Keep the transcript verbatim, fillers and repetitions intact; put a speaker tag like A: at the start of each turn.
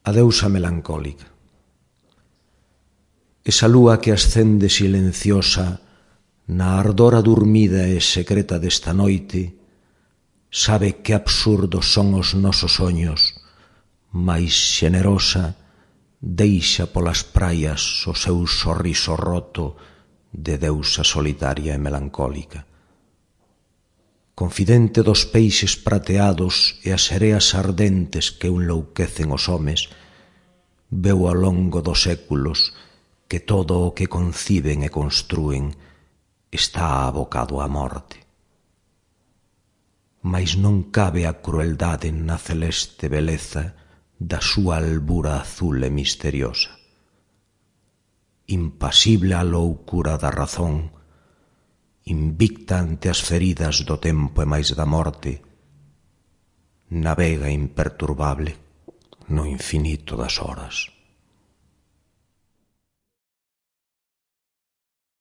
A: A deusa melancólica. Esa lúa que ascende silenciosa na ardora durmida e secreta desta noite sabe que absurdos son os nosos soños, mais xenerosa deixa polas praias o seu sorriso roto de deusa solitaria e melancólica. Confidente dos peixes prateados e as sereas ardentes que enlouquecen os homes, veu ao longo dos séculos que todo o que conciben e construen está abocado á morte. Mais non cabe a crueldade na celeste beleza da súa albura azul e misteriosa. Impasible a loucura da razón, invicta ante as feridas do tempo e máis da morte, navega imperturbable no infinito das horas.